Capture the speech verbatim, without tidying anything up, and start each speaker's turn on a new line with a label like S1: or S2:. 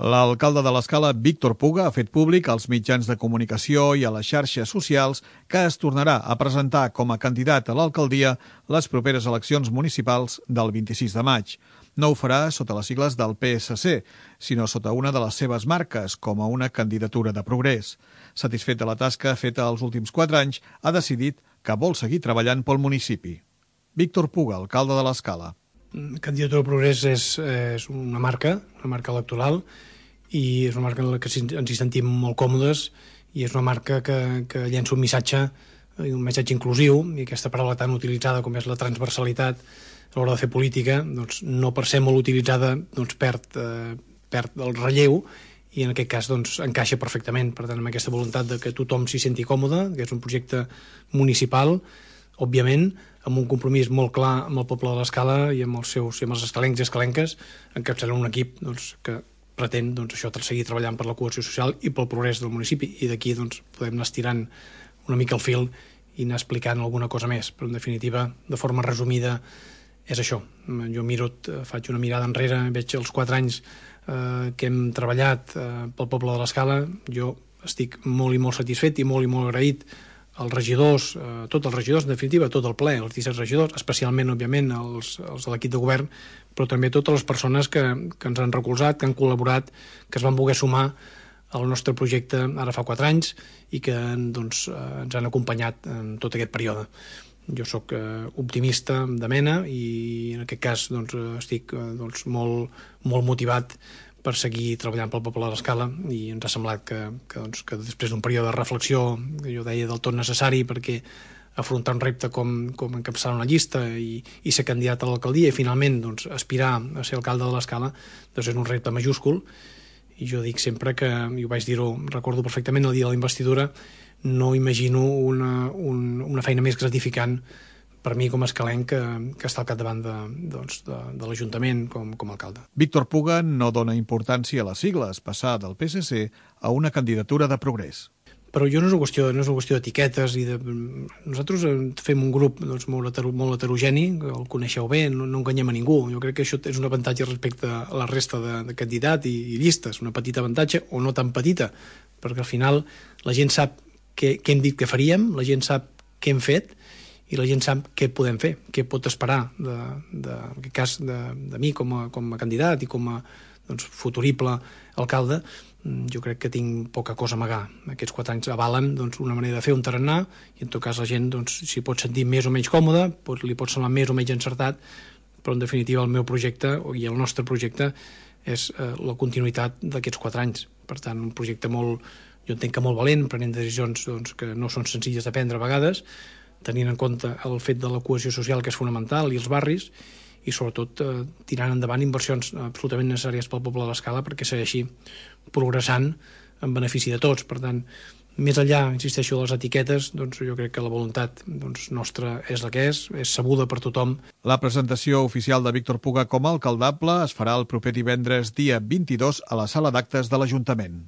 S1: L'alcalde de l'Escala, Víctor Puga, ha fet públic als mitjans de comunicació i a les xarxes socials que es tornarà a presentar com a candidat a l'alcaldia les properes eleccions municipals del vint-i-sis de maig. No ho farà sota les sigles del P S C, sinó sota una de les seves marques, com a una candidatura de progrés. Satisfet de la tasca feta els últims quatre anys, ha decidit que vol seguir treballant pel municipi. Víctor Puga, alcalde de l'Escala.
S2: Candidatura de Progrés és, és una marca, una marca electoral, i és una marca en la que ens hi sentim molt còmodes, i és una marca que, que llença un missatge, un missatge inclusiu, i aquesta paraula tan utilitzada com és la transversalitat a l'hora de fer política, doncs, no per ser molt utilitzada doncs, perd, eh, perd el relleu, i en aquest cas doncs, encaixa perfectament. Per tant, amb aquesta voluntat de que tothom s'hi senti còmode, que és un projecte municipal, òbviament, amb un compromís molt clar amb el poble de l'Escala i amb els seus i amb els escalencs i escalenques, encapçalant un equip doncs, que pretén doncs, això, seguir treballant per la cohesió social i pel progrés del municipi, i d'aquí doncs, podem anar estirant una mica el fil i anar explicant alguna cosa més, però en definitiva, de forma resumida, és això. Jo miro, faig una mirada enrere, veig els quatre anys eh, que hem treballat eh, pel poble de l'Escala. Jo estic molt i molt satisfet i molt i molt agraït als regidors, eh, tots els regidors, en definitiva, tot el ple, els disset regidors, especialment, òbviament, els, els de l'equip de govern, però també totes les persones que, que ens han recolzat, que han col·laborat, que es van voler sumar al nostre projecte ara fa quatre anys i que doncs, eh, ens han acompanyat en tot aquest període. Jo sóc eh, optimista de mena i en aquest cas doncs, estic eh, doncs, molt, molt motivat per seguir treballant pel poble de l'Escala, i ens ha semblat que, que, doncs, que després d'un període de reflexió, que jo deia del tot necessari, perquè afrontar un repte com, com encapçalar una llista i, i ser candidat a l'alcaldia i finalment doncs, aspirar a ser alcalde de l'Escala doncs és un repte majúscul. I jo dic sempre que, i ho vaig dir-ho, recordo perfectament el dia de la investidura, no imagino una, un, una feina més gratificant per mi com a escalenc que, que està al capdavant de, doncs, de, de l'Ajuntament com, com a alcalde.
S1: Víctor Puga no dona importància a les sigles, passar del P S C a una candidatura de progrés.
S2: Però jo no és una qüestió, no és una qüestió d'etiquetes. I de... Nosaltres fem un grup doncs, molt, heter, molt heterogeni, el coneixeu bé, no, no enganyem a ningú. Jo crec que això és un avantatge respecte a la resta de, de candidat i, i llistes, una petita avantatge o no tan petita, perquè al final la gent sap què, què hem dit que faríem, la gent sap què hem fet, i la gent sap què podem fer, què pot esperar de, de, en aquest cas de, de mi com a, com a candidat i com a doncs, futurible alcalde. Jo crec que tinc poca cosa a amagar. Aquests quatre anys avalen doncs, una manera de fer, un tarannà, i en tot cas la gent doncs, s'hi pot sentir més o menys còmode, pot, li pot semblar més o menys encertat, però en definitiva el meu projecte i el nostre projecte és eh, la continuïtat d'aquests quatre anys. Per tant, un projecte molt, jo entenc que molt valent, prenent decisions doncs, que no són senzilles de prendre a vegades, tenint en compte el fet de la cohesió social, que és fonamental, i els barris, i sobretot eh, tirant endavant inversions absolutament necessàries pel poble de l'Escala perquè segueixi progressant en benefici de tots. Per tant, més enllà, insisteixo, de les etiquetes, doncs jo crec que la voluntat doncs, nostra és la que és, és sabuda per tothom.
S1: La presentació oficial de Víctor Puga com a alcaldable es farà el proper divendres dia vint-i-dos a la sala d'actes de l'Ajuntament.